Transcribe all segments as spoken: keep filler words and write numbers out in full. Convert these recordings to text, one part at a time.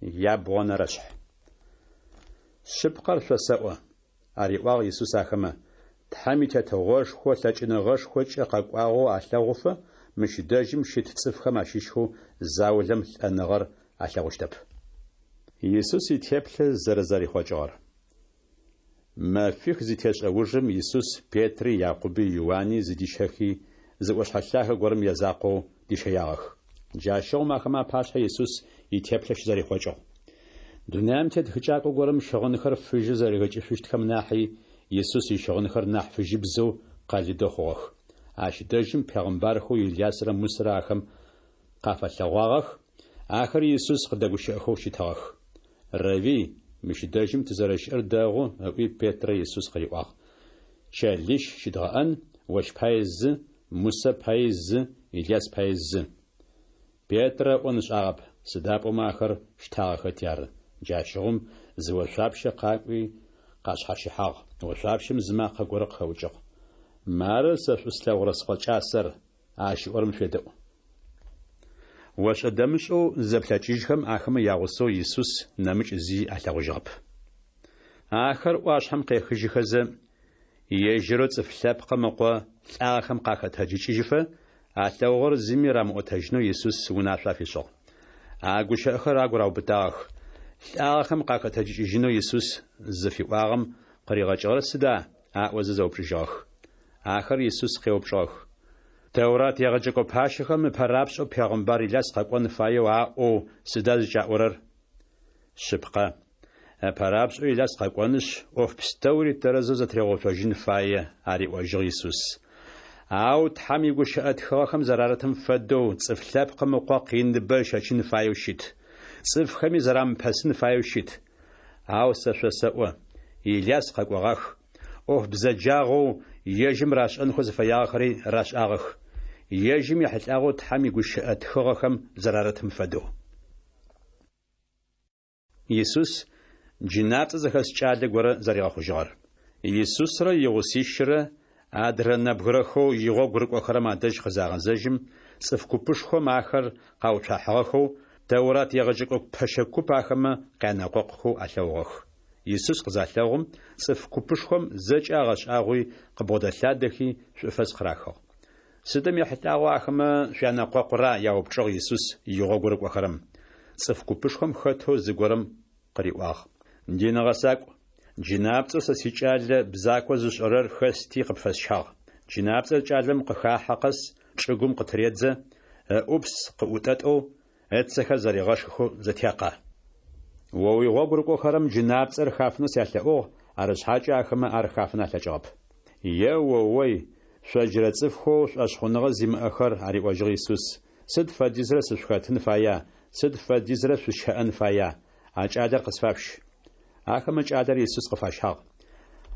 Ябгъонэрэшъхь. Шъыпкъэр шъосэӏо, ариӏуагъ Исус ахэмэ, Тхьэм и Тетыгъошхо лъэкӏыныгъэшхокӏэ къэкӏуагъэу алъэгъуфэ, мыщ дэжьым щыт цӏыфхэм ащыщхэу заулэм лӏэныгъэр алъэгъущтэп. Исус итеплъэ зэрэзэрихъокӏыгъэр. Мэфих зытешӏэ ужым Исус Петри, Якъуби, Иуани зыдищэхи, зы ӏошъхьэ лъагэ горэм язакъоу дищэягъэх. Джащыгъум ахэмэ апашъхьэ Исус итеплъэ щызэрихъокӏыгъ. Дунаим тет хыкӏакӏо горэм щыгъынхэр фыжьы зэригъэкӏышъущтхэм нахьи Исус ищыгъынхэр нахь фыжьыбзэу къэлыдэу хъугъэх. Ащ дэжьым пегъымбархэу Илясрэ Мусэрэ ахэм къафэлъэгъуагъэх, ахэр Исус къыдэгущыӏэхэу щытыгъэх. Рэви, мыщ дэжьым тызэрэщыӏэр дэгъу, ыӏуи Петрэ Исус къыриӏуагъ. Чэлищ щыдгъэӏэн, ощ пае зы, Мусэ пае зы, Иляс пае зы. Петрэ ыӏон ышӏагъэп, сыда пӏомэ ахэр щтагъэхэти ары. Джащыгъум зы ошъуапщэ къакӏуи къашъхьащыхьагъ. Ошъуапщэм зы макъэ горэ къыхэӏукӏыгъ. Мары сэ шӏу слъэгъурэ Скъо кӏасэр, ащ ыӏорэм шъуедэӏу. Ошӏэ-дэмышӏэу зызэплъэкӏыжьхэм, ахэмэ ягъусэу Исус нэмыкӏ зи алъэгъужьыгъэп. Ахэр ӏуашъхьэм къехыжьыхэзэ, ежьырэу Цӏыф Лъэпкъым Ыкъо лӏагъэхэм къахэтэджыкӏыжьыфэ, алъэгъугъэр зыми рамыӏотэжьынэу Исус унашъо афишӏыгъ. А гущыӏэхэр агу раубытагъэх. Лӏагъэхэм къахэтэджыкӏыжьынэу Исус зыфиӏуагъэм къыригъэкӏыгъэр сыда? Аӏозэ зэупчӏыжьыгъэх. Ахэр Исус къеупчӏыгъэх: Тэурат егъэджэкӏо пащэхэм ыпэрапшӏэу пегъымбар Иляс къэкӏон фаеу аӏоу сыда зыкӏаӏорэр? Шъыпкъэ, ыпэрапшӏэу Иляс къэкӏонышъ, ӏоф пстэури тэрэзэу зэтыригъэуцожьын фае, ариӏожьыгъ Исус. Ау Тхьэм игущыӏэ тхыгъэхэм зэрарытым фэдэу Цӏыф Лъэпкъым Ыкъо къиныбэ ыщэчын фаеу щыт, цӏыфхэми зэрамыпэсын фаеу щыт. Ау сэ шъосэӏо, Иляс къэкӏогъах, ӏоф бзэджагъэу ежьым рашӏэнхэу зыфэягъэхэри рашӏагъэх, ежьым ехьылӏагъэу Тхьэм игущыӏэ тхыгъэхэм зэрарытым фэдэу. Исус джынапцӏэ зыхэс кӏалэ горэ зэригъэхъужьыгъэр. Исусрэ игъусищрэ адрэ нэбгырэхэу игъогу рыкӏохэрэм адэжь къызагъэзэжьым, цӏыф купышхом ахэр къауцуахьыгъэхэу, Тэурат егъэджэкӏо пэщэ куп ахэмэ къянэкъокъухэу алъэгъугъэх. Исус къызалъэгъум, цӏыф купышхом зэкӏэ агъэшӏагъуи, къыбгъодэлъадэхи, шӏуфэс къырахыгъ. Сыдым ехьылӏагъэу ахэмэ шъуянэкъокъура? яупчӏыгъ Исус игъогу рыкӏохэрэм. Цӏыф купышхом хэтэу зыгорэм къыриӏуагъ: Дин гъэсакӏу, джынапцӏэу сэ сикӏалэ бзако зышӏэрэр хэсти къыпфэсщагъ. Джынапцӏэр кӏалэм къыхахьэ къэс чӏыгум къытыредзэ, ыӏупс къыӏутӏэтӏэу, ыцэхэр зэригъэшхыхэу зэтекъэ. О уигъогу рыкӏохэрэм джынапцӏэр хафынэу сялъэӏугъ, арышъхьакӏэ ахэмэ ар хафын алъэкӏыгъэп. Е-о-ой, шъо джырэ цӏыфхэу шӏошъхъуныгъэ зимыӏэхэр, ариӏожьыгъ Исус, сыд фэдизрэ сышъухэтын фая, сыд фэдизрэ шъусщэӏэн фая? А кӏалэр къысфашъущ. Ахэмэ кӏалэр Исус къыфащагъ.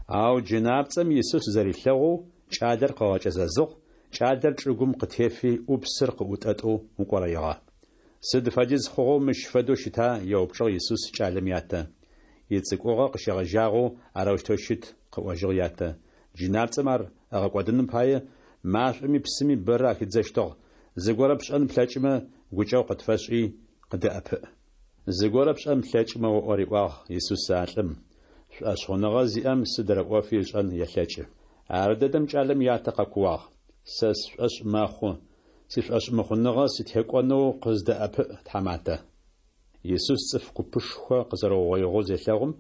Ау джынапцӏэм Исус зэрилъэгъоу кӏалэр къыгъэкӏэзэзыгъ, кӏалэр чӏыгум къытефи ӏупсыр къыӏутӏэтӏэу укӏорэигъэ. Сыд фэдиз хъугъэу мыщ фэдэу щыта? еупчӏыгъ Исус кӏалэм ятэ. Ицӏыкӏугъэ къыщегъэжьагъэу арэущтэу щыт, къыӏожьыгъ ятэ. Джынапцӏэм ар ыгъэкӏодыным пае машӏоми псыми бэрэ ахидзэщтыгъ. Зыгорэ пшӏэн плъэкӏымэ, гукӏэгъу къытфэшӏи, къыдэӏэпыӏ. Зыгорэ пшӏэн плъэкӏымэ оӏо, риӏуагъ Исус а лӏым, шӏошъхъуныгъэ зиӏэм сыдрэ ӏофи ышӏэн елъэкӏы. Ардэдэм кӏалэм ятэ къэкууагъ: Сэ сшӏошъ мэхъу, сишӏошъмыхъуныгъэ сытекӏонэу къыздэӏэпыӏ, тхьаматэ. Исус цӏыф купышхо къызэрэугъоигъэу зелъэгъум,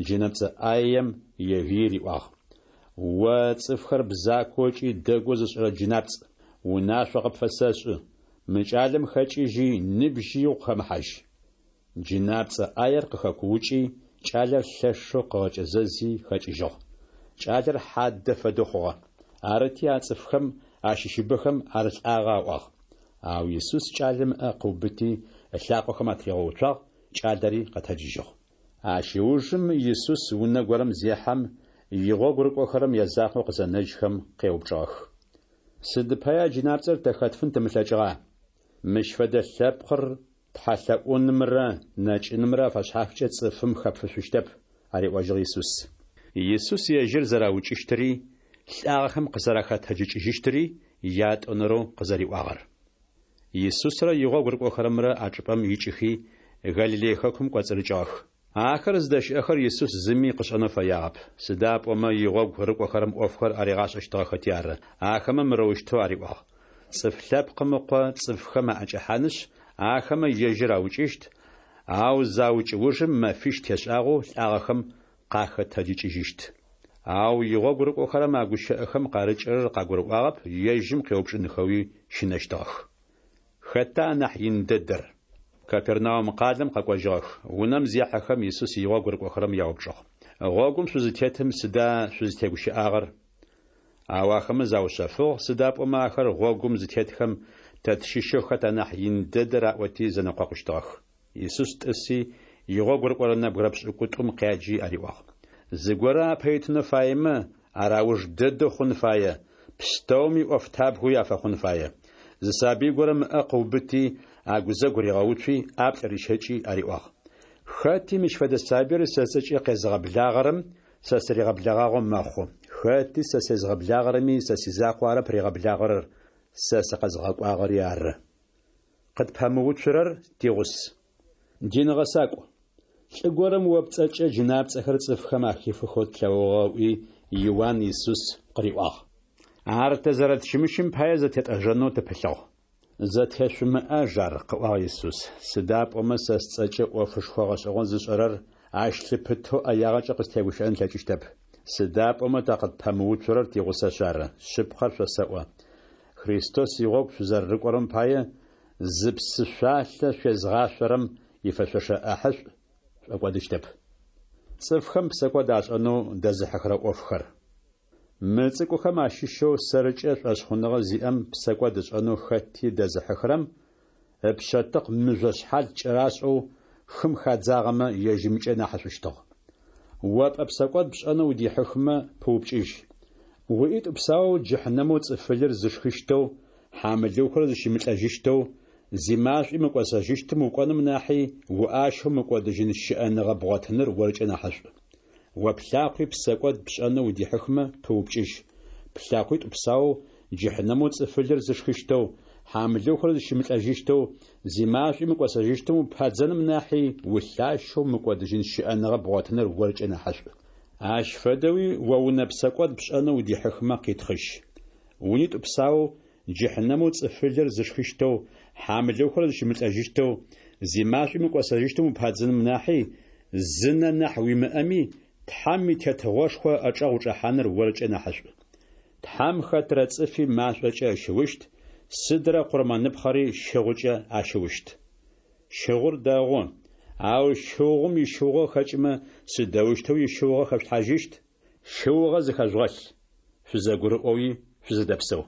джынэпцӏэ ӏаем егыий риӏуагъ: О цӏыфхэр бзакоу ыкӏи дэгоу зышӏырэ джынапцӏ, унашъо къыпфэсэшӏы: мы кӏалэм хэкӏыжьи, ныбжьи укъыхэмыхьажь. Джынапцӏэ ӏаер къыхэкуукӏи, кӏалэр лъэшэу къыгъэкӏэзэзи хэкӏыжьыгъ. Кӏалэр хьадэ фэдэу хъугъэ. Арыти, а цӏыфхэм ащыщыбэхэм ар лӏагъэ аӏуагъ. Ау Исус кӏалэм ыӏэ къыубыти, ылъакъохэм атыригъэуцуагъ, кӏалэри къэтэджыжьыгъ. Ащ ыужым Исус унэ горэм зехьэм, игъогу рыкӏохэрэм язакъоу къызэнэжьхэм къеупчӏыгъэх: Сыд пая джынапцӏэр тэ хэтфын тымылъэкӏыгъа? Мыщ фэдэ лъэпкъыр тхьэлъэӏунымрэ нэкӏынымрэ афэшъхьафкӏэ цӏыфым хэпфышъущтэп, ариӏожьыгъ Исус. Исус ежьыр зэраукӏыщтыри, лӏагъэхэм къызэрахэтэджыкӏыжьыщтыри ятӏонэрэу къызэриӏуагъэр. Исусрэ игъогу рыкӏохэрэмрэ а чӏыпӏэм икӏыхи, Галилей хэкум кӏоцӏырыкӏыгъэх. Ахэр зыдэщыӏэхэр Исус зыми къышӏэнэу фэягъэп, сыда пӏомэ игъогу рыкӏохэрэм ӏофхэр аригъашӏэщтыгъэхэти ары. Ахэмэ мырэущтэу ариӏуагъ, Цӏыф Лъэпкъым Ыкъо цӏыфхэм аӏэкӏэхьанышъ, ахэмэ ежьыр аукӏыщт, ау заукӏ ужым мэфищ тешӏагъэу лӏагъэхэм къахэтэджыкӏыжьыщт. Ау игъогу рыкӏохэрэм а гущыӏэхэм къарыкӏырэр къагурыӏуагъэп, ежьым къеупчӏынхэуи щынэщтыгъэх. Хэта анахь ин дэдэр? Капернаум къалэм къэкӏожьыгъэх. Унэм зехьэхэм, Исус игъогу рыкӏохэрэм яупчӏыгъ. Гъогум шъузытетым сыда шъузтегущыӏагъэр? Ау ахэмэ заушъэфыгъ, сыда пӏомэ ахэр гъогум зытетхэм, тэ тщыщэу хэт анахь ин дэдэр аӏоти зэнэкъокъущтыгъэх. Исус тӏыси, игъогу рыкӏорэ нэбгырэ пшӏыкӏутӏум къяджи ариӏуагъ: Зыгорэ апэ итынэу фаемэ, ар ауж дэдэу хъун фае, пстэуми ӏофтабгэуи афэхъун фае. Зы сабый горэм ыӏэ къыубыти, агузэгу ригъэуцуи, ӏаплӏ рищэкӏи ариӏуагъ: Хэти мыщ фэдэ сабыир сэ сцӏэкӏэ къезыгъэблагъэрэм сэ сыригъэблэгъагъэу мэхъу, хэти сэ сезгъэблагъэрэми сэ сизакъоу арэп ригъэблагъэрэр, сэ сыкъэзгъэкӏуагъэри ары. Къытпэмыуцурэр тигъус. Дин гъэсакӏу, лӏы горэм о пцӏэкӏэ джынапцӏэхэр цӏыфхэм ахифыхэу тлъэгъугъэ, ыӏуи, Иуан Исус къыриӏуагъ. Ар тэ зэрэтщымыщым пае зэтетӏэжэнэу тыпылъыгъ. Зэтешъумыӏаж ар, къыӏуагъ Исус, сыда пӏомэ сэ сцӏэкӏэ ӏофышхо гъэшӏэгъон зышӏэрэр ащ лъыпытэу ӏэягъэкӏэ къыстегущыӏэн ылъэкӏыщтэп. Сыда пӏомэ тэ къытпэмыуцурэр тигъусэшъ ары. Шъыпкъэр шъосэӏо: Христос игъогу шъузэрэрыкӏорэм пае, зы псы шъуалъэ шъуезгъашъорэм ифэшъошэ ӏахьышӏу шӏокӏодыщтэп. Цӏыфхэм псэкӏод ашӏэнэу дэзыхьыхырэ ӏофхэр. Мы цӏыкӏухэм ащыщэу сэркӏэ шӏошъхъуныгъэ зиӏэм псэкӏод ышӏэнэу хэти дэзыхьыхырэм ыпшъэтыкъ мыжъо шъхьал кӏэрашӏэу хым хадзагъэмэ, ежьымкӏэ нахьышӏущтыгъ. О пӏэ псэкӏод пшӏэнэу удихьыхмэ, пыупкӏыжь. Уӏитӏу псаоу джыхьнэмэу цӏыфылыр зышхыщтэу, хьамылыухэр зыщымылӏэжьыщтэу, зимашӏуи мыкӏосэжьыщтым укӏоным нахьи, уӏащэу мыкӏодыжьын щыӏэныгъэ бгъотыныр оркӏэ нахьышӏу. О плъакъуи псэкӏод пшӏэнэу удихьыхмэ, пыупкӏыжь. Плъэкъуитӏу псаоу джыхьнэмэу цӏыфылыр зышхыщтэу, хьамылыухэр зыщымылӏэжьыщтэу, зимашӏуи мыкӏосэжьыщтым упадзэным нахьи, улъащэу мыкӏодыжьын щыӏэныгъэ бгъотыныр оркӏэ нахьышӏу. Ащ фэдэуи о унэ псэкӏод пшӏэнэу удихьыхмэ, къитхъыжь. Унитӏу псаоу джыхьнэмэу цӏыфылыр зышхыщтэу, хьамылыухэр зыщымылӏэжьыщтэу, зимашӏуи мыкӏосэжьыщтым упадзэным нахьи, зы нэ нахь уимыӏэми, Тхьэм и Тетыгъошхо ыӏэчӏэгъ учӏэхьаныр оркӏэ нахьышӏу. Тхьэм хэтрэ цӏыфи машӏокӏэ ыщыущт, сыдрэ къурмэныпхъэри щыгъукӏэ ащыущт. Щыгъур дэгъу, ау щыгъум ищыугъэ хэкӏымэ, сыдэущтэу ищыугъэ хэшъулъхьажьыщт? Щыугъэ зыхэжъугъэлъ, шъузэгурыӏоуи шъузэдэпсэу.